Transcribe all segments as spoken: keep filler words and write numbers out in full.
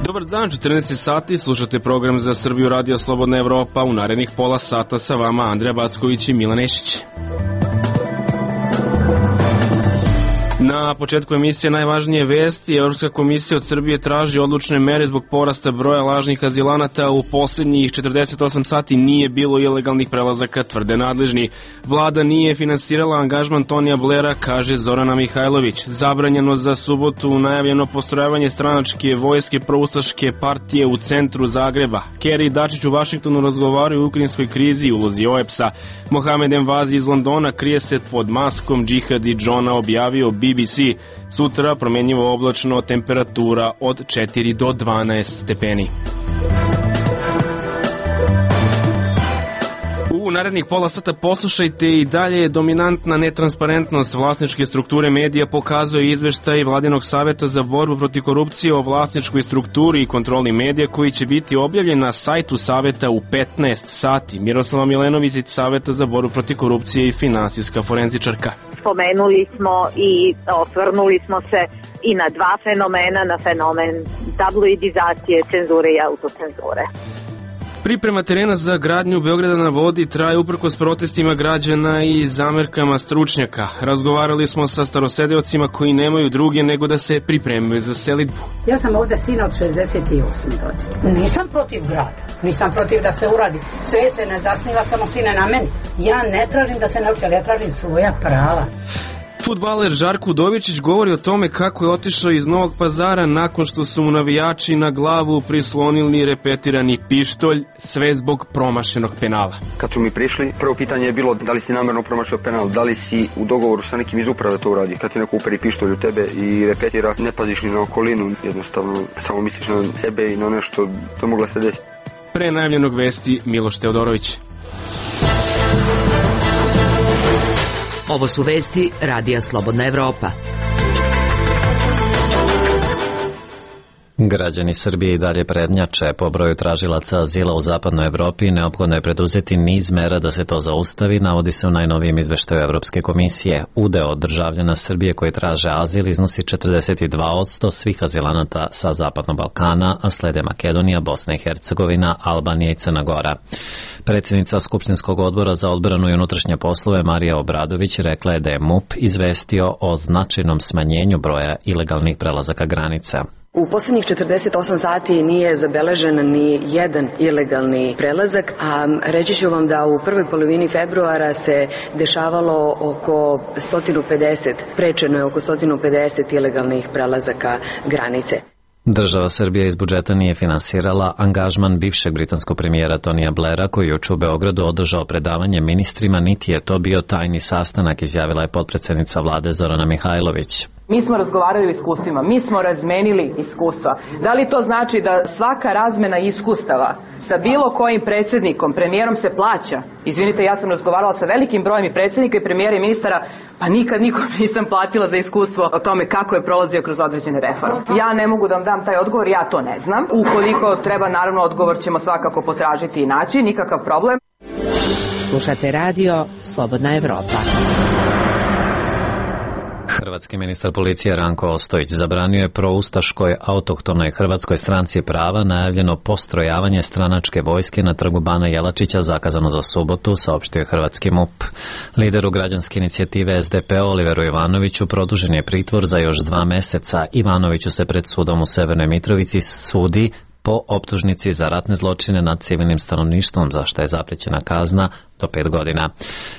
Dobar dan, četrnaest sati, slušate program za Srbiju Radio Slobodna Evropa. U narednih pola sata sa vama Andrija Backović i Milan Ešić. Na početku emisije najvažnije vesti. Evropska komisija od Srbije traži odlučne mere zbog porasta broja lažnih azilanata. U posljednjih četrdeset osam sati nije bilo ilegalnih prelazaka, tvrde nadležni. Vlada nije finansirala angažman Tonija Blera, kaže Zorana Mihajlović. Zabranjeno za subotu najavljeno postrojavanje stranačke vojske proustaške partije u centru Zagreba. Kerry i Dačić u Vašingtonu razgovaraju o ukrajinskoj krizi i ulozi O E P S-a. Mohamed Envazi iz Londona krije se pod maskom Džihadi Džona, objavio B B C. Sutra promjenjivo oblačno, temperatura od četiri do dvanaest stepeni. U narednih pola sata poslušajte i dalje. Dominantna netransparentnost vlasničke strukture medija pokazuje izveštaj Vladinog saveta za borbu protiv korupcije o vlasničkoj strukturi i kontroli medija koji će biti objavljen na sajtu saveta u petnaest sati. Miroslava Milenović iz Saveta za borbu protiv korupcije i finansijska forenzičarka. Spomenuli smo i osvrnuli smo se i na dva fenomena, na fenomen tabloidizacije, cenzure i autocenzure. Priprema terena za gradnju Beograda na vodi traje uprkos protestima građana i zamerkama stručnjaka. Razgovarali smo sa starosedeocima koji nemaju druge nego da se pripremaju za selidbu. Ja sam ovdje sina od šezdeset osme godine. Nisam protiv grada, nisam protiv da se uradi. Svet se ne zasniva samo sine na meni. Ja ne tražim da se ne uči, ali ja tražim svoja prava. Fudbaler Žarko Udovičić govori o tome kako je otišao iz Novog Pazara nakon što su mu navijači na glavu prislonili repetirani pištolj, sve zbog promašenog penala. Kad su mi prišli, prvo pitanje je bilo da li si namjerno promašio penal, da li si u dogovoru sa nekim iz uprave to uradi. Kad ti neko uperi pištolj u tebe i repetira, ne paziš ni na okolinu, jednostavno samo misliš na sebe i na nešto, to mogla se desiti. Pre najavljenog vesti Miloš Teodorović. Ovo su vesti Radija Slobodna Evropa. Građani Srbije i dalje prednjače po broju tražilaca azila u zapadnoj Evropi i neophodno je preduzeti niz mera da se to zaustavi, navodi se u najnovijem izveštaju Evropske komisije. Udeo državljana Srbije koji traže azil iznosi četrdeset dva posto svih azilanata sa Zapadnog Balkana, a slede Makedonija, Bosna i Hercegovina, Albanija i Crna Gora. Predsjednica Skupštinskog odbora za odbranu i unutrašnje poslove Marija Obradović rekla je da je M U P izvestio o značajnom smanjenju broja ilegalnih prelazaka granica. U posljednjih četrdeset osam sati nije zabeležen ni jedan ilegalni prelazak, a reći ću vam da u prvoj polovini februara se dešavalo oko sto pedeset, prečeno je oko sto pedeset ilegalnih prelazaka granice. Država Srbija iz budžeta nije finansirala angažman bivšeg britanskog premijera Tonija Blera koji je juče u Beogradu održao predavanje ministrima, niti je to bio tajni sastanak, izjavila je potpredsednica vlade Zorana Mihajlović. Mi smo razgovarali o iskustvima, mi smo razmenili iskustva. Da li to znači da svaka razmena iskustava sa bilo kojim predsjednikom, premijerom se plaća? Izvinite, ja sam razgovarala sa velikim brojem i predsjednika i premijera i ministara, pa nikad nikom nisam platila za iskustvo o tome kako je prolazio kroz određene reforme. Ja ne mogu da vam dam taj odgovor, ja to ne znam. Ukoliko treba, naravno, odgovor ćemo svakako potražiti i naći, nikakav problem. Slušate radio Slobodna Evropa. Hrvatski ministar policije Ranko Ostojić zabranio je proustaškoj autohtonoj Hrvatskoj stranci prava najavljeno postrojavanje stranačke vojske na trgu Bana Jelačića zakazano za subotu, saopštio je hrvatski M U P. Lideru građanske inicijative S D P Oliveru Ivanoviću produžen je pritvor za još dva meseca. Ivanoviću se pred sudom u Severnoj Mitrovici sudi po optužnici za ratne zločine nad civilnim stanovništvom, za što je zaprećena kazna do pet godina.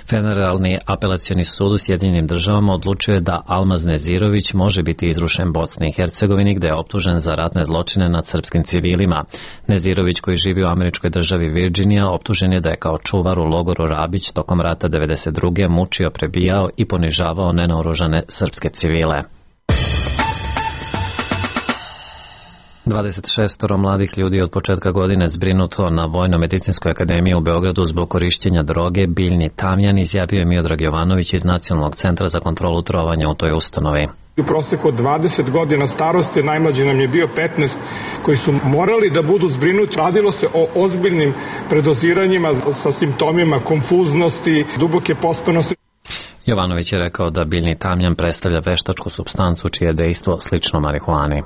Federalni apelacioni sud u Sjedinjenim državama odlučio je da Almaz Nezirović može biti izrušen Bosni i Hercegovini, gde je optužen za ratne zločine nad srpskim civilima. Nezirović, koji živi u američkoj državi Virginija, optužen je da je kao čuvar u logoru Rabić tokom rata devedeset druge mučio, prebijao i ponižavao nenaoružane srpske civile. dvadeset šest mladih ljudi od početka godine zbrinuto na Vojno-medicinskoj akademiji u Beogradu zbog korišćenja droge biljni tamjan, izjavio je Miodrag Jovanović iz Nacionalnog centra za kontrolu trovanja u toj ustanovi. U proseku od dvadeset godina starosti, najmlađi nam je bio petnaest, koji su morali da budu zbrinuti. Radilo se o ozbiljnim predoziranjima sa simptomima konfuznosti, duboke pospanosti. Jovanović je rekao da biljni tamjan predstavlja veštačku supstancu čije je dejstvo slično marihuani.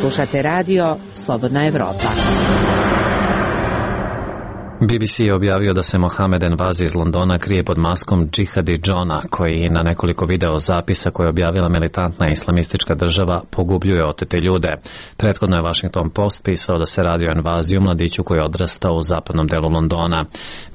Slušate radio Slobodna Evropa. B B C je objavio da se Mohamed Envazi iz Londona krije pod maskom Džihadi Johna, koji na nekoliko video zapisa koje je objavila militantna islamistička država pogubljuje otete ljude. Prethodno je Washington Post pisao da se radi o Envaziju, mladiću koji je odrastao u zapadnom delu Londona.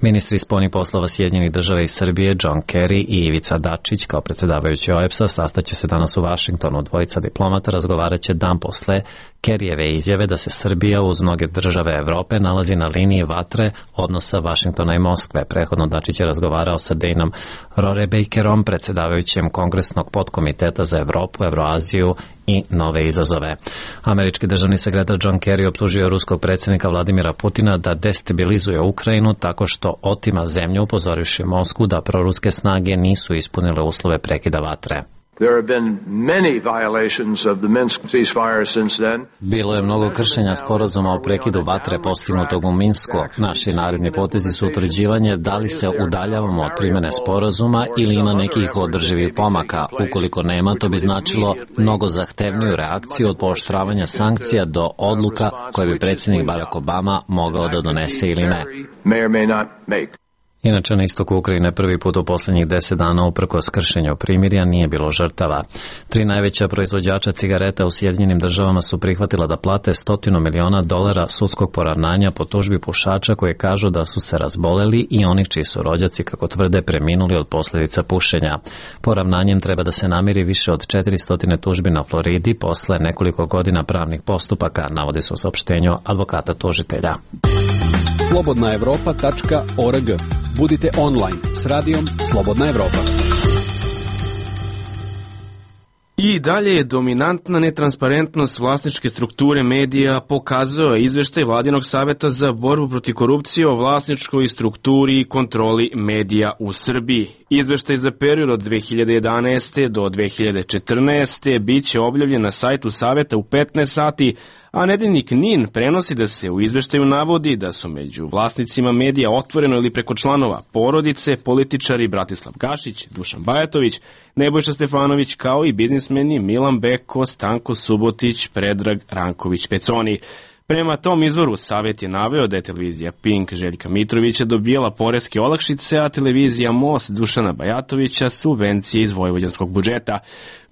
Ministri spoljnih poslova Sjedinjenih država i Srbije John Kerry i Ivica Dačić kao predsjedavajući O E B S-a sastaće se danas u Washingtonu. Dvojica diplomata razgovarat će dan posle Kerryjeve izjave da se Srbija uz mnoge države Evrope nalazi na liniji vatre odnosa Vašingtona i Moskve. Prethodno Dačić je razgovarao sa Dejnom Rohrabacherom, predsjedavajućem Kongresnog podkomiteta za Evropu, Evroaziju i nove izazove. Američki državni sekretar John Kerry optužio ruskog predsjednika Vladimira Putina da destabilizuje Ukrajinu tako što otima zemlju, upozorivši Moskvu da proruske snage nisu ispunile uslove prekida vatre. There have been many violations of the Minsk ceasefire since then. Bilo je mnogo kršenja sporazuma o prekidu vatre postignutog u Minsku. Naši naredni potezi su utvrđivanje da li se udaljavamo od primjene sporazuma ili ima nekih održivih pomaka. Ukoliko nema, to bi značilo mnogo zahtevniju reakciju od pooštravanja sankcija do odluka koje bi predsjednik Barack Obama mogao da donese ili ne. Inače, na istoku Ukrajine prvi put u posljednjih deset dana uprkos kršenju primirja nije bilo žrtava. Tri najveća proizvođača cigareta u Sjedinjenim državama su prihvatila da plate stotinu miliona dolara sudskog poravnanja po tužbi pušača koji kažu da su se razboleli i onih čiji su rođaci, kako tvrde, preminuli od posljedica pušenja. Poravnanjem treba da se namiri više od četiristo tužbi na Floridi posle nekoliko godina pravnih postupaka, navodi se u saopštenju advokata tužitelja. slobodna evropa tačka org. Budite online s radijom Slobodna Evropa. I dalje je dominantna netransparentnost vlasničke strukture medija, pokazao je izveštaj Vladinog saveta za borbu protiv korupcije o vlasničkoj strukturi i kontroli medija u Srbiji. Izveštaj za period od dve hiljade jedanaeste do dve hiljade četrnaeste biće objavljen na sajtu saveta u petnaest sati, a nedeljnik N I N prenosi da se u izveštaju navodi da su među vlasnicima medija otvoreno ili preko članova porodice, političari Bratislav Gašić, Dušan Bajatović, Nebojša Stefanović, kao i biznismeni Milan Beko, Stanko Subotić, Predrag Ranković Peconi. Prema tom izvoru, savjet je naveo da je televizija Pink Željka Mitrovića dobijala poreske olakšice, a televizija Most Dušana Bajatovića subvencije iz vojvođanskog budžeta.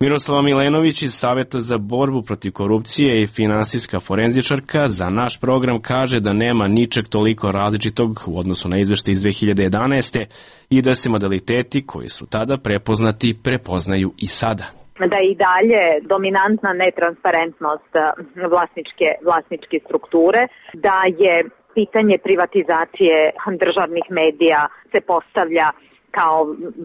Miroslava Milenović iz Saveta za borbu protiv korupcije i finansijska forenzičarka za naš program kaže da nema ničeg toliko različitog u odnosu na izveštaj iz dve hiljade jedanaeste i da se modaliteti koji su tada prepoznati prepoznaju i sada. Da i dalje dominantna netransparentnost vlasničke, vlasničke strukture, da je pitanje privatizacije državnih medija se postavlja kao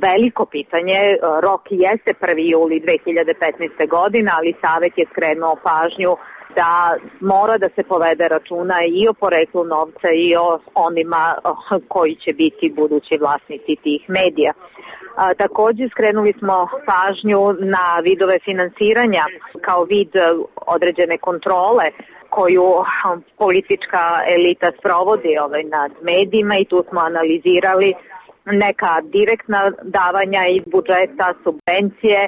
veliko pitanje. Rok jeste prvi juli dve hiljade petnaeste. godine, ali Savet je skrenuo pažnju da mora da se povede računa i o poreklu novca i o onima koji će biti budući vlasnici tih medija. A, također skrenuli smo pažnju na vidove finansiranja kao vid određene kontrole koju politička elita sprovodi ovaj, nad medijima i tu smo analizirali neka direktna davanja iz budžeta, subvencije.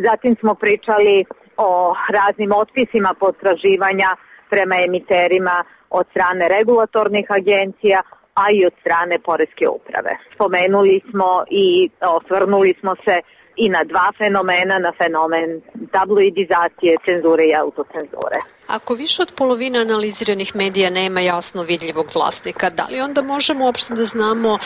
Zatim smo pričali o raznim otpisima potraživanja prema emiterima od strane regulatornih agencija, a i od strane poreske uprave. Spomenuli smo i osvrnuli smo se i na dva fenomena, na fenomen tabloidizacije, cenzure i autocenzure. Ako više od polovine analiziranih medija nema jasno vidljivog vlasnika, da li onda možemo uopšte da znamo e,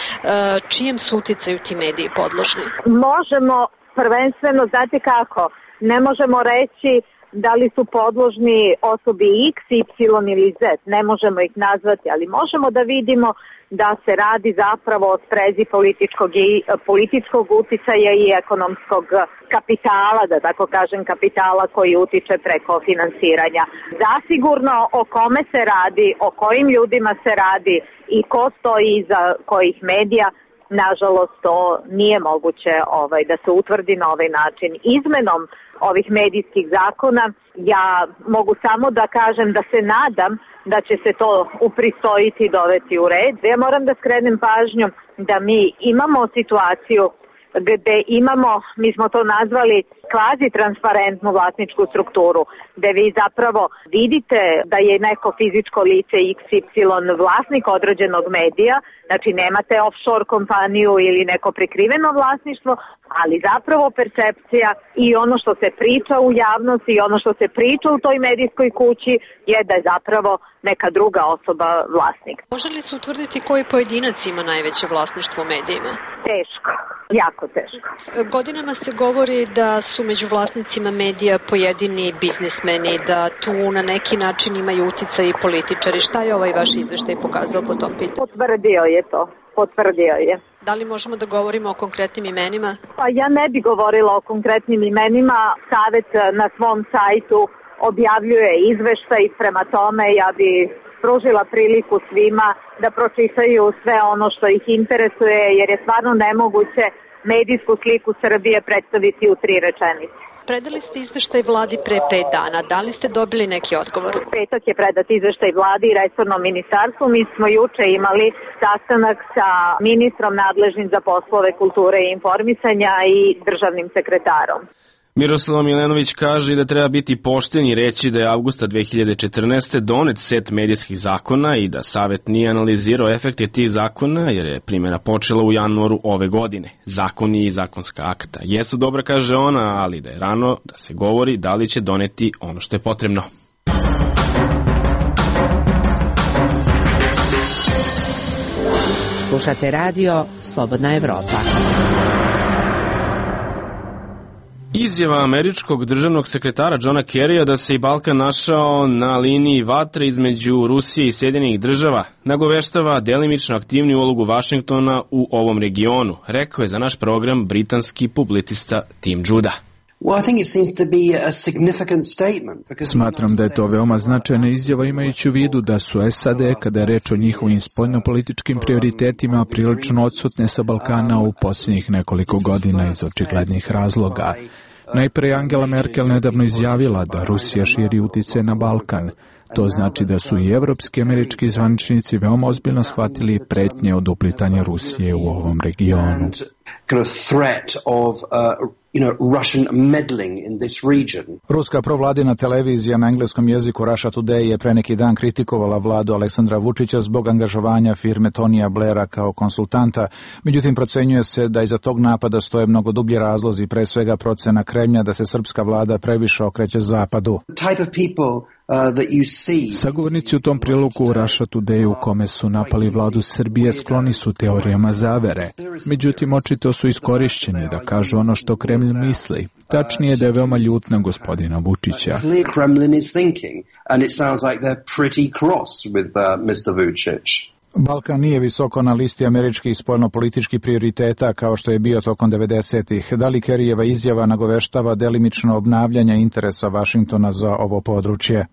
čijem su uticaju ti mediji podložni? Možemo prvenstveno, znate kako, ne možemo reći da li su podložni osobi X, Y ili Z, ne možemo ih nazvati, ali možemo da vidimo da se radi zapravo o sprezi političkog, i, političkog uticaja i ekonomskog kapitala, da tako kažem kapitala koji utiče preko finansiranja. Zasigurno o kome se radi, o kojim ljudima se radi i ko stoji iza kojih medija, nažalost to nije moguće ovaj, da se utvrdi na ovaj način. Izmenom ovih medijskih zakona ja mogu samo da kažem da se nadam da će se to upristojiti i dovesti u red. Ja moram da skrenem pažnju da mi imamo situaciju gde imamo, mi smo to nazvali kvazi transparentnu vlasničku strukturu, gde vi zapravo vidite da je neko fizičko lice iks ipsilon vlasnik određenog medija, znači nemate offshore kompaniju ili neko prikriveno vlasništvo, ali zapravo percepcija i ono što se priča u javnosti i ono što se priča u toj medijskoj kući je da je zapravo neka druga osoba vlasnik. Može li se utvrditi koji pojedinac ima najveće vlasništvo u medijima? Teško, jako teško. Godinama se govori da su među vlasnicima medija pojedini biznismeni, da tu na neki način imaju uticaj i političari. Šta je ovaj vaš izveštaj pokazao po tom pitanju? Potvrdio je to, potvrdio je. Da li možemo da govorimo o konkretnim imenima? Pa ja ne bi govorila o konkretnim imenima. Savet na svom sajtu objavljuje izveštaj, prema tome ja bi pružila priliku svima da pročitaju sve ono što ih interesuje, jer je stvarno nemoguće medijsku sliku Srbije predstaviti u tri rečenice. Predali ste izveštaj vladi pre pet dana. Da li ste dobili neki odgovor? Petak je predat izveštaj vladi i resornom ministarstvu. Mi smo juče imali sastanak sa ministrom nadležnim za poslove kulture i informisanja i državnim sekretarom. Miroslava Milenović kaže da treba biti pošten i reći da je avgusta dve hiljade četrnaeste. donet set medijskih zakona i da Savet nije analizirao efekte tih zakona jer je primjena počela u januaru ove godine. Zakoni i zakonska akta jesu dobra, kaže ona, ali da je rano da se govori da li će doneti ono što je potrebno. Slušate radio Slobodna Evropa. Izjava američkog državnog sekretara Johna Kerrya da se i Balkan našao na liniji vatre između Rusije i Sjedinjenih država nagoveštava delimično aktivniju ulogu Vašingtona u ovom regionu, rekao je za naš program britanski publicista Tim Judah. Smatram da je to veoma značajna izjava imajući u vidu da su es a de, kada je reč o njihovim spoljnopolitičkim prioritetima, prilično odsutne sa Balkana u posljednjih nekoliko godina iz očiglednih razloga. Najpre Angela Merkel nedavno izjavila da Rusija širi utice na Balkan. To znači da su i evropski američki zvaničnici veoma ozbiljno shvatili pretnje od uplitanja Rusije u ovom regionu. Ruska provladina televizija na engleskom jeziku Russia Today je pre neki dan kritikovala vladu Aleksandra Vučića zbog angažovanja firme Tonija Blaira kao konsultanta. Međutim, procenjuje se da iza tog napada stoje mnogo dublji razlozi, pre svega procena Kremlja da se srpska vlada previše okreće zapadu. Sagovornici u tom prilogu u Russia Today u kome su napali vladu Srbije skloni su teorijama zavere. Međutim, očito su iskorišćeni da kažu ono što Kremlj misli. Tačnije da je veoma ljut na gospodina Vučića. Balkan nije visoko na listi američkih spoljnopolitičkih prioriteta kao što je bio tokom devedesetih. Da li Kerryjeva izjava nagoveštava delimično obnavljanje interesa Vašingtona za ovo područje?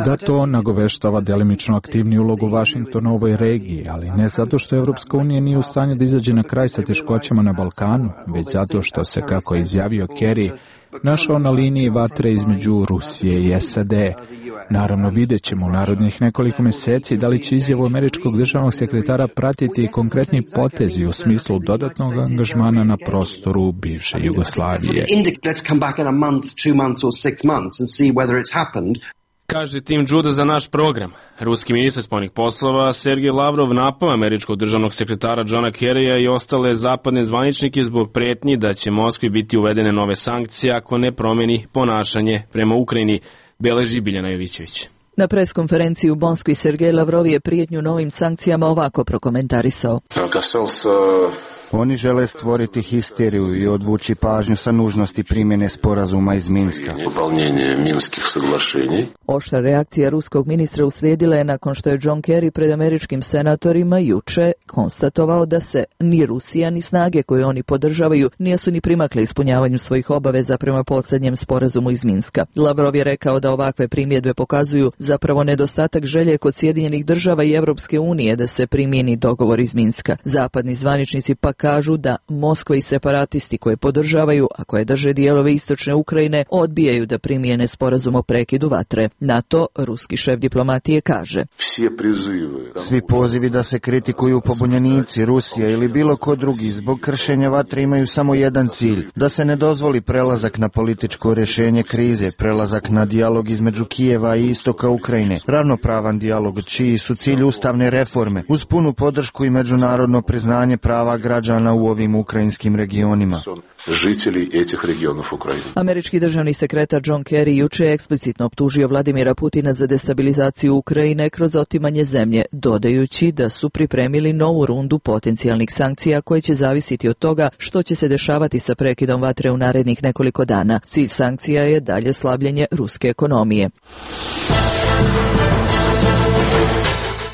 Da, to nagoveštava delimično aktivniju ulogu Vašingtona u ovoj regiji, ali ne zato što Evropska unija nije u stanju da izađe na kraj sa teškoćama na Balkanu, već zato što se, kako je izjavio Kerry, našao na liniji vatre između Rusije i es a de. Naravno, vidjet ćemo u narodnih nekoliko meseci da li će izjavu američkog državnog sekretara pratiti konkretni potezi u smislu dodatnog angažmana na prostoru bivše Jugoslavije. Kaže Tim Judah za naš program. Ruski ministar spoljnih poslova Sergej Lavrov napao američkog državnog sekretara Johna Kerrya i ostale zapadne zvaničnike zbog pretnji da će Moskvi biti uvedene nove sankcije ako ne promeni ponašanje prema Ukrajini, beleži Biljana Jovićević. Na preskonferenciji u Moskvi Sergej Lavrov je prijetnju novim sankcijama ovako prokomentarisao. Oni žele stvoriti histeriju i odvući pažnju sa nužnosti primjene sporazuma iz Minska. Oštra reakcija ruskog ministra uslijedila je nakon što je John Kerry pred američkim senatorima juče konstatovao da se ni Rusija ni snage koje oni podržavaju nisu ni primakle ispunjavanju svojih obaveza prema posljednjem sporazumu iz Minska. Lavrov je rekao da ovakve primjedbe pokazuju zapravo nedostatak želje kod Sjedinjenih država i Evropske unije da se primijeni dogovor iz Minska. Zapadni zvaničnici pak kažu da Moskva i separatisti koje podržavaju, a koje drže dijelove istočne Ukrajine, odbijaju da primijene sporazum o prekidu vatre. Na to ruski šef diplomatije kaže: Svi pozivi da se kritikuju pobunjenici, Rusija ili bilo ko drugi zbog kršenja vatre imaju samo jedan cilj, da se ne dozvoli prelazak na političko rješenje krize, prelazak na dijalog između Kijeva i istoka Ukrajine, ravnopravan dijalog čiji su cilj ustavne reforme, uz punu podršku i međunarodno priznanje prava građana u ovim ukrajinskim regionima. Žitelji etih regionov Ukrajine. Američki državni sekretar John Kerry juče je eksplicitno optužio Vladimira Putina za destabilizaciju Ukrajine kroz otimanje zemlje, dodajući da su pripremili novu rundu potencijalnih sankcija koje će zavisiti od toga što će se dešavati sa prekidom vatre u narednih nekoliko dana. Cilj sankcija je dalje slabljenje ruske ekonomije.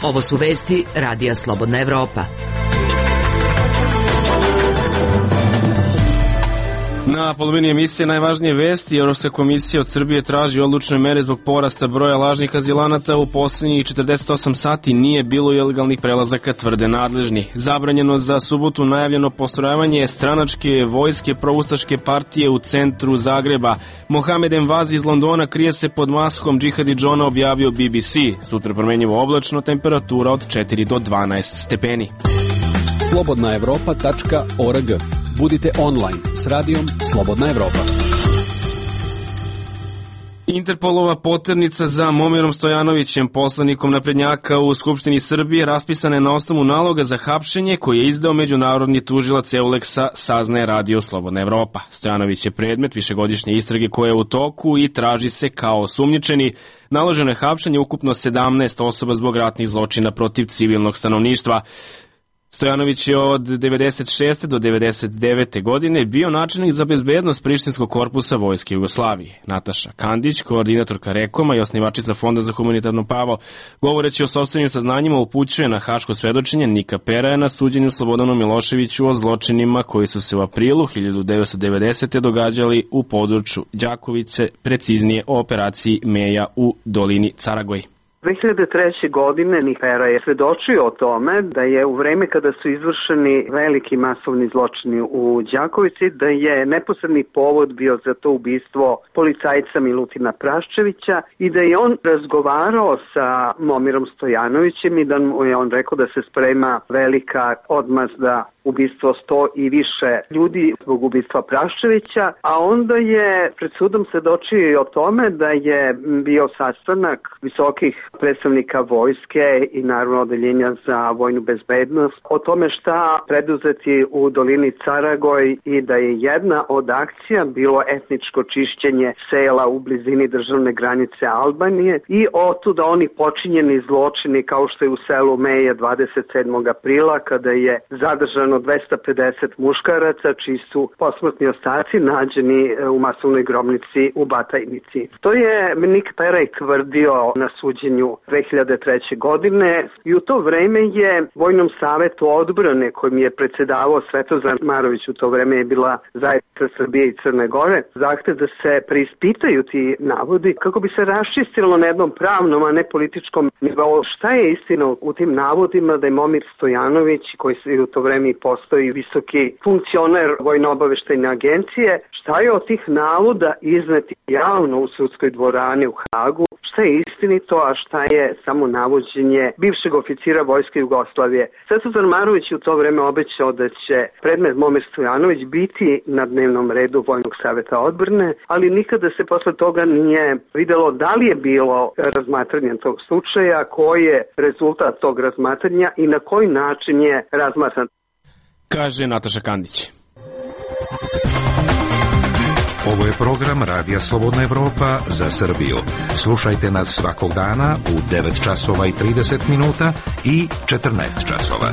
Ovo su vesti Radija Slobodna Evropa. Na polovini emisije najvažnije vesti, Europska komisija od Srbije traži odlučne mere zbog porasta broja lažnih azilanata. U posljednjih četrdeset osam sati nije bilo ilegalnih prelazaka, tvrde nadležni. Zabranjeno za subotu najavljeno postrojavanje stranačke vojske proustaške partije u centru Zagreba. Mohamed Envazi iz Londona krije se pod maskom Džihadi Džona, objavio B B C. Sutra promjenjivo oblačno, temperatura od četiri do dvanaest stepeni. slobodna evropa tačka org. Budite online s radijom Slobodna Evropa. Interpolova poternica za Momirom Stojanovićem, poslanikom naprednjaka u Skupštini Srbije, raspisana je na osnovu naloga za hapšenje koji je izdao međunarodni tužilac Euleksa, saznaje Radio Slobodna Evropa. Stojanović je predmet višegodišnje istrage koja je u toku i traži se kao osumnjičeni. Naloženo je hapšenje ukupno sedamnaest osoba zbog ratnih zločina protiv civilnog stanovništva. Stojanović je od devedeset šeste do devedeset devete godine bio načelnik za bezbednost Prištinskog korpusa Vojske Jugoslavije. Nataša Kandić, koordinatorka Rekoma i osnivačica Fonda za humanitarno pravo, govoreći o sopstvenim saznanjima, upućuje na haško svedočenje Nika Peraja na suđenju Slobodanu Miloševiću o zločinima koji su se u aprilu hiljadu devetsto devedesete. događali u području Đakovice, preciznije o operaciji Meja u dolini Caragoji. dve hiljade treće. godine Nikera je svedočio o tome da je u vreme kada su izvršeni veliki masovni zločini u Đakovici, da je neposredni povod bio za to ubistvo policajca Milutina Praščevića i da je on razgovarao sa Momirom Stojanovićem i da mu je on rekao da se sprema velika odmazda, ubistvo sto i više ljudi zbog ubistva Praščevića, a onda je pred sudom svedočio i o tome da je bio sastanak visokih predstavnika vojske i naravno odeljenja za vojnu bezbednost o tome šta preduzeti u dolini Caragoj i da je jedna od akcija bilo etničko čišćenje sela u blizini državne granice Albanije i otuda oni počinjeni zločini kao što je u selu Meja dvadeset sedmog aprila kada je zadržano dvesta pedeset muškaraca čiji su posmrtni ostaci nađeni u masovnoj grobnici u Batajnici. To je Nik Peraj tvrdio na suđenju dve hiljade treće. godine i u to vreme je Vojnom savetu odbrane kojim je predsedavao Svetozar Marović, u to vreme je bila zajednica Srbije i Crne Gore, zahtev da se preispitaju ti navodi kako bi se raščistilo na jednom pravnom, a ne političkom nivou šta je istina u tim navodima da je Momir Stojanović, koji se u to vreme postoji visoki funkcioner Vojno-obaveštajne agencije, šta je od tih navoda izneti javno u sudskoj dvorani u Hagu, šta je istinito, a šta je samo navođenje bivšeg oficira Vojske Jugoslavije. Svetozar Marović u to vreme obećao da će predmet Momir Stojanović biti na dnevnom redu Vojnog saveta odbrane, ali nikada se posle toga nije videlo da li je bilo razmatranje tog slučaja, koji je rezultat tog razmatranja i na koji način je razmatran. Kaže Nataša Kandić. Ovo je program Radija Slobodna Evropa za Srbiju. Slušajte nas svakog dana u devet časova i trideset minuta i četrnaest časova.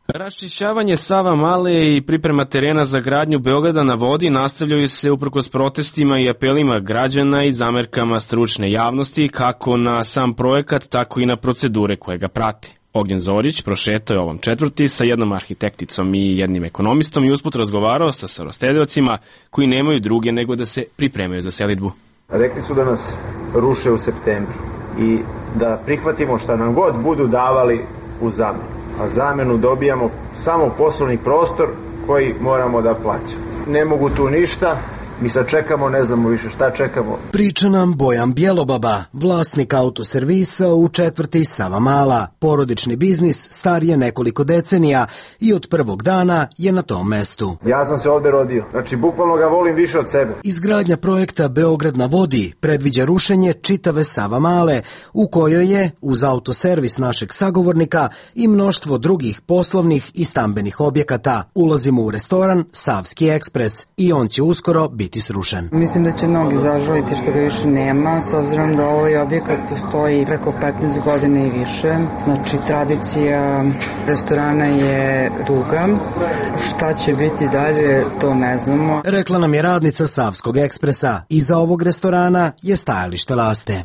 Raščišćavanje Sava Male i priprema terena za gradnju Beograda na vodi nastavljaju se uprkos protestima i apelima građana i zamerkama stručne javnosti kako na sam projekat, tako i na procedure koje ga prate. Ognjen Zorić prošetao je ovom četvrti sa jednom arhitekticom i jednim ekonomistom i usput razgovarao sa starostediocima koji nemaju druge nego da se pripremaju za selidbu. Rekli su da nas ruše u septembru. i da prihvatimo šta nam god budu davali u zamenu. A zamenu dobijamo samo poslovni prostor koji moramo da plaćamo. Ne mogu tu ništa, mi sad čekamo, ne znamo više šta čekamo. Priča nam Bojan Bjelobaba, vlasnik autoservisa u četvrti Savamala. Porodični biznis star je nekoliko decenija i od prvog dana je na tom mestu. Ja sam se ovde rodio, znači bukvalno ga volim više od sebe. Izgradnja projekta Beograd na vodi predviđa rušenje čitave Savamale, u kojoj je, uz autoservis našeg sagovornika, i mnoštvo drugih poslovnih i stambenih objekata. Ulazimo u restoran Savski ekspres i on će uskoro biti srušen. Mislim da će mnogi zažaliti što ga više nema, s obzirom da ovaj objekat postoji preko petnaest godina i više. Znači, tradicija restorana je duga. Šta će biti dalje, to ne znamo. Rekla nam je radnica Savskog ekspresa. Iza ovog restorana je stajalište Laste.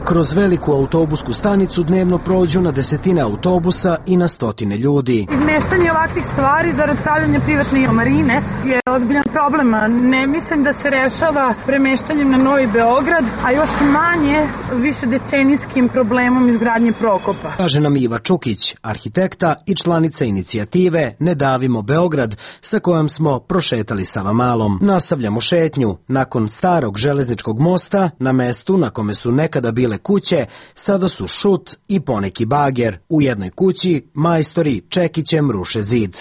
Kroz veliku autobusku stanicu dnevno prođu na desetine autobusa i na stotine ljudi. Izmeštanje ovakvih stvari zarad pravljanja privatne marine je ozbiljan problem. Ne mislim da se rešava premeštanjem na Novi Beograd, a još manje više decenijskim problemom izgradnje Prokopa. Kaže nam Iva Čukić, arhitekta i članica inicijative Ne davimo Beograd, sa kojom smo prošetali Savamalom. Nastavljamo šetnju. Nakon starog železničkog mosta, na mestu na kome su nekada bile kuće, sada su šut i poneki bager. U jednoj kući majstori čekićem ruše zid.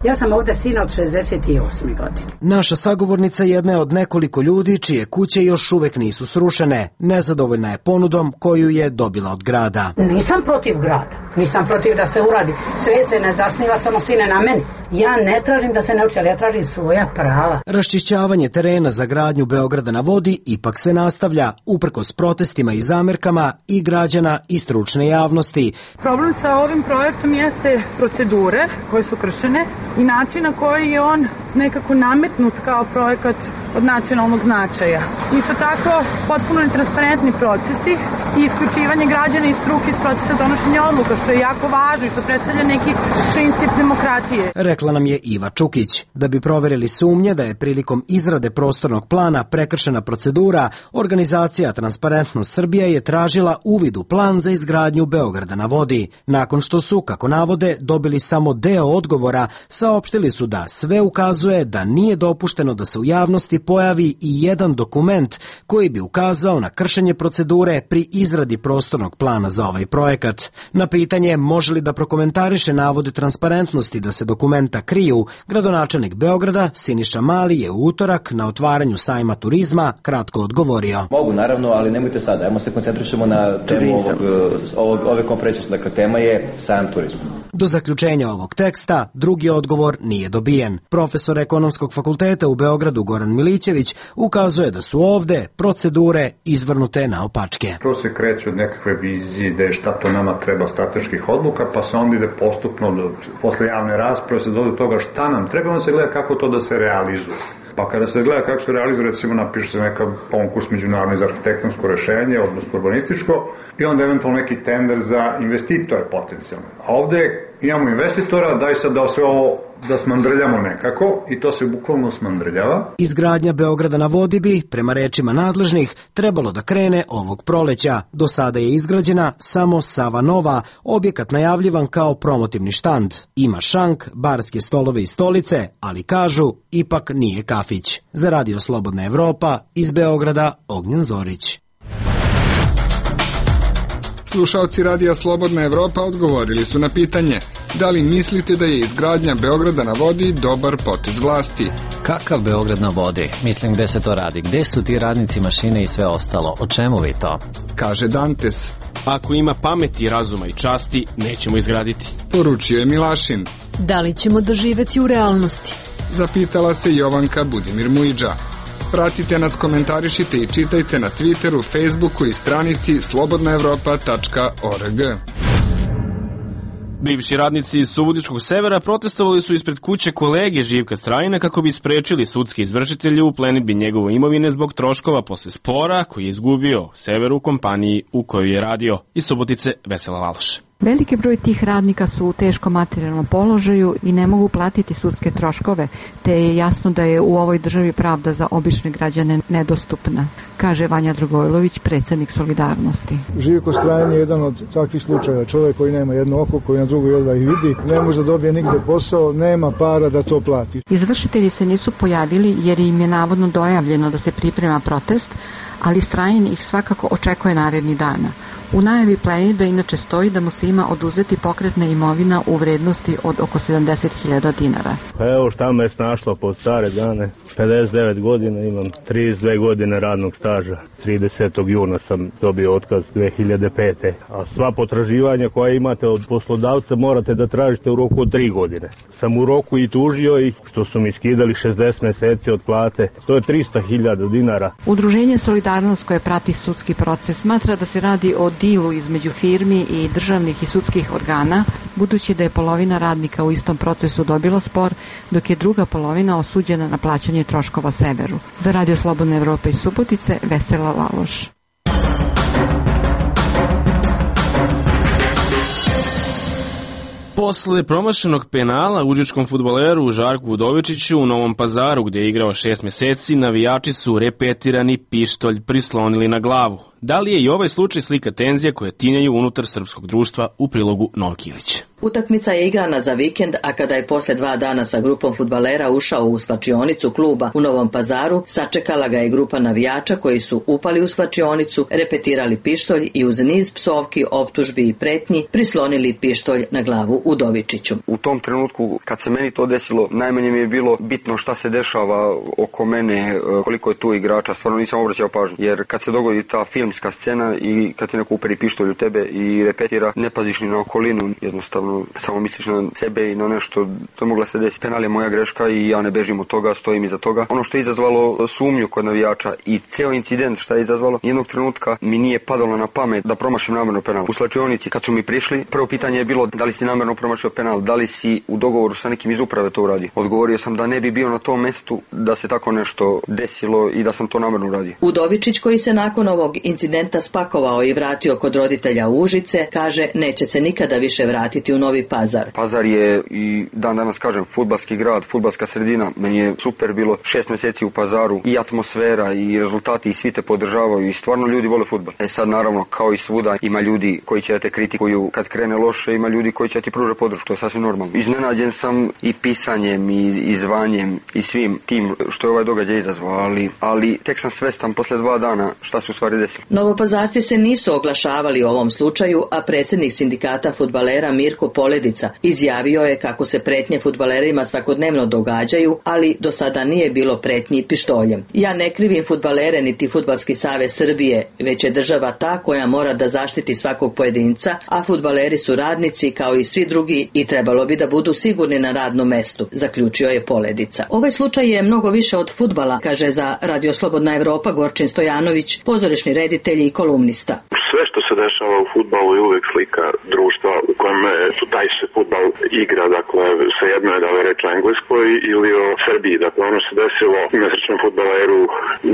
Ja sam ovde sina od šezdeset osme godine. Naša sagovornica jedna je od nekoliko ljudi čije kuće još uvek nisu srušene. Nezadovoljna je ponudom koju je dobila od grada. Nisam protiv grada, nisam protiv da se uradi. Svet se ne zasniva samo sine na meni. Ja ne tražim da se ne uči, ali ja tražim svoja prava. Raščišćavanje terena za gradnju Beograda na vodi ipak se nastavlja, uprkos protestima i zamerkama i građana i stručne javnosti. Problem sa ovim projektom jeste procedure koje su kršene i način na koji je on nekako nametnut kao projekat od nacionalnog značaja. Isto tako, potpuno netransparentni procesi i isključivanje građana i struke iz procesa donošenja odluka, što je jako važno i što predstavlja neki princip demokratije. Rekla nam je Iva Čukić. Da bi proverili sumnje da je prilikom izrade prostornog plana prekršena procedura, organizacija Transparentnost Srbija je tražila uvid u plan za izgradnju Beograda na vodi. Nakon što su, kako navode, dobili samo deo odgovora, saopštili su da sve ukazuje da nije dopušteno da se u javnosti pojavi i jedan dokument koji bi ukazao na kršenje procedure pri izradi prostornog plana za ovaj projekat. Na pitanje može li da prokomentariše navode Transparentnosti da se dokumenta kriju, gradonačelnik Beograda Siniša Mali je u utorak na otvaranju sajma turizma kratko odgovorio. Mogu, naravno, ali nemojte sada. Ajmo se koncentrišemo na temu ovog, ovog, ove konferencije. Dakle, tema je sajam turizma. Do zaključenja ovog teksta drugi odgovor nije dobijen. Profesor Ekonomskog fakulteta u Beogradu Goran Milićević ukazuje da su ovde procedure izvrnute naopačke. Prvo se kreće od nekakve vizije ideje šta to nama treba strateških odluka, pa se onda ide postupno do, posle javne rasprave se dođe do toga šta nam treba, onda se gleda kako to da se realizuje. Pa kada se gleda kako se realizuje, recimo napiše se neka konkurs međunarodni za arhitektonsko rešenje, odnosno urbanističko, i onda eventualno neki tender za investitore potencijalno. A ovde imamo investitora, daj sad da sve ovo da smandrljamo nekako i to se bukvalno smandrljava. Izgradnja Beograda na vodi bi, prema rečima nadležnih, trebalo da krene ovog proleća. Do sada je izgrađena samo Sava Nova, objekat najavljivan kao promotivni štand. Ima šank, barske stolove i stolice, ali kažu, ipak nije kafić. Za Radio Slobodna Evropa, iz Beograda, Ognjen Zorić. Slušaoci Radija Slobodna Evropa odgovorili su na pitanje da li mislite da je izgradnja Beograda na vodi dobar potez vlasti. Kakav Beograd na vodi? Mislim, gde se to radi? Gde su ti radnici, mašine i sve ostalo? O čemu vi to? Kaže Dantes. Ako ima pameti, razuma i časti, nećemo izgraditi. Poručio je Milašin. Da li ćemo doživeti u realnosti? Zapitala se Jovanka Budimir Mujdža. Pratite nas, komentarišite i čitajte na Twitteru, Facebooku i stranici slobodna evropa tačka org. Bivši radnici iz Subotičkog severa protestovali su ispred kuće kolege Živka Strajina kako bi sprečili sudske izvršitelje u plenidbi njegove imovine zbog troškova posle spora koji je izgubio sever u kompaniji u kojoj je radio. Iz Subotice Vesela Laloš. Veliki broj tih radnika su u teškom materijalnom položaju i ne mogu platiti sudske troškove, te je jasno da je u ovoj državi pravda za obične građane nedostupna, kaže Vanja Dragojlović, predsjednik Solidarnosti. Živko Strajan je jedan od takvih slučaja. Čovjek koji nema jedno oko, koji na drugo jedva ih vidi, ne može da dobije nigde posao, nema para da to plati. Izvršitelji se nisu pojavili jer im je navodno dojavljeno da se priprema protest, ali Strajan ih svakako očekuje narednih dana. U najavi plenidbe inače stoji da mu se ima oduzeti pokretna imovina u vrednosti od oko sedamdeset hiljada dinara. Pa evo šta me je snašlo po stare dane. pedeset devet godina, imam trideset dve godine radnog staža. tridesetog juna sam dobio otkaz dve hiljade pete. A sva potraživanja koja imate od poslodavca morate da tražite u roku od tri godine. Sam u roku i tužio ih što su mi skidali šezdeset meseci od plate. To je trista hiljada dinara. Udruženje Solidarnost koje prati sudski proces smatra da se radi o dilu između firmi i državnih i sudskih organa, budući da je polovina radnika u istom procesu dobila spor, dok je druga polovina osuđena na plaćanje troškova severu. Za Radio Slobodna Evropa iz Subotice, Vesela Laloš. Posle promašenog penala užičkom fudbaleru Žarku Udovičiću u Novom Pazaru, gdje je igrao šest meseci, navijači su repetirani pištolj prislonili na glavu. Da li je i ovaj slučaj slika tenzija koje tinjaju unutar srpskog društva, u prilogu Novak Ilić? Utakmica je igrana za vikend, a kada je posle dva dana sa grupom fudbalera ušao u slačionicu kluba u Novom Pazaru, sačekala ga je grupa navijača koji su upali u slačionicu, repetirali pištolj i uz niz psovki, optužbi i pretnji prislonili pištolj na glavu Udovičiću. U tom trenutku, kad se meni to desilo, najmanje mi je bilo bitno šta se dešava oko mene, koliko je tu igrača, stvarno nisam obraćao pažnju, jer kad se dogodi ta filmska scena i kad ti neko uperi pištolj u tebe i repetira, ne paziš ni na okolinu, jednostavno samo misliš na sebe i na nešto, to je mogla se desiti. Penal je moja greška i ja ne bežim od toga, stojim iza toga. Ono što je izazvalo sumnju kod navijača i ceo incident šta je izazvalo, jednog trenutka mi nije padalo na pamet da promašim namerno penal. U slačionici kad su mi prišli, prvo pitanje je bilo da li si namerno promašio penal, da li si u dogovoru sa nekim iz uprave to uradio. Odgovorio sam da ne bi bio na tom mestu da se tako nešto desilo i da sam to namerno uradio. Udovičić, koji se nakon ovog incidenta spakovao i vratio kod roditelja u Užice, kaže neće se nikada više vratiti u Novi Pazar. Pazar je i dan danas kažem fudbalski grad, fudbalska sredina. Meni je super bilo šest meseci u Pazaru i atmosfera i rezultati i svi te podržavaju i stvarno ljudi vole fudbal. E sad naravno kao i svuda ima ljudi koji će da te kritikuju kad krene loše, ima ljudi koji će da ti pruže podršku, to je sasvim normalno. Iznenađen sam i pisanjem i, i zvanjem i svim tim što je ovaj događaj izazvao, ali, ali tek sam svestan posle dva dana šta se u stvari desilo. Novopazarci se nisu oglašavali o ovom slučaju, a predsjednik sindikata fudbalera Mirko Poledica izjavio je kako se pretnje fudbalerima svakodnevno događaju, ali do sada nije bilo pretnji pištoljem. Ja ne krivim fudbalere niti Fudbalski savez Srbije, već je država ta koja mora da zaštiti svakog pojedinca, a fudbaleri su radnici kao i svi drugi i trebalo bi da budu sigurni na radnom mestu, zaključio je Poledica. Ovaj slučaj je mnogo više od fudbala, kaže za Radio Slobodna Evropa Gorčin Stojanović, pozorišni reditelj i kolumnista. Sve što se dešava u fudbalu je uvek slika društva u kojem su taj se fudbal igra, dakle svejedno je da li reč o Engleskoj ili o Srbiji. Dakle, ono se desilo nesrećnom fudbaleru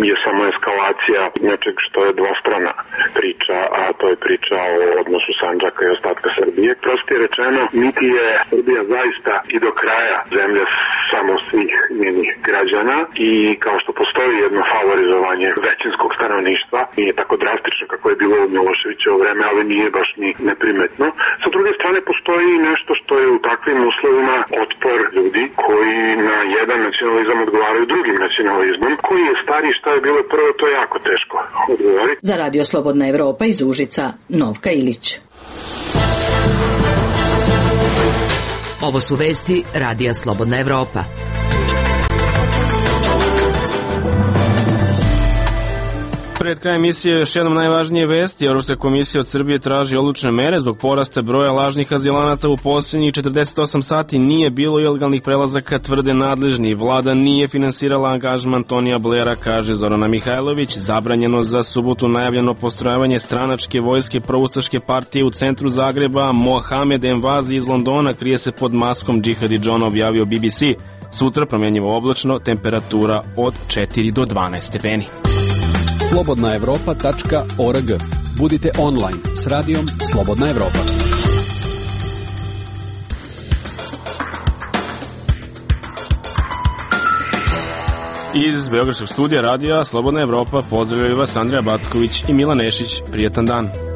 je samo eskalacija nečeg što je dvostrana priča, a to je priča o odnosu Sandžaka i ostatka Srbije. Prostije rečeno, niti je Srbija zaista i do kraja zemlja samo svih njenih građana i kao što postoji jedno favorizovanje većinskog stanovništva, nije tako drastično kako je bilo u Miloševićevo vreme, ali nije baš ni neprimetno. Sa druge strane postoji nešto što je u takvim uslovima otpor ljudi koji na jedan nacionalizam odgovaraju drugim nacionalizmom, koji je stari, šta je bilo prvo, to je jako teško odgovoriti. Za Radio Slobodna Evropa iz Užica, Novka Ilić. Ovo su vesti Radija Slobodna Evropa. Pred krajem emisije još jednom najvažnije vesti. Evropska komisija od Srbije traži odlučne mere zbog porasta broja lažnih azilanata u posljednjih četrdeset osam sati. Nije bilo ilegalnih prelazaka, tvrde nadležni. Vlada nije finansirala angažman Tonija Blera, kaže Zorana Mihajlović. Zabranjeno za subotu najavljeno postrojavanje stranačke vojske proustaške partije u centru Zagreba. Mohamed Envazi iz Londona krije se pod maskom Džihadi John, objavio B B C. Sutra promjenjivo oblačno, temperatura od četiri do dvanaest stepeni. slobodna evropa tačka org. Budite online s radijom Slobodna Evropa. Iz Beogradskog studija radija Slobodna Evropa pozdravljaju vas Andrija Batković i Milan Nešić. Prijetan dan.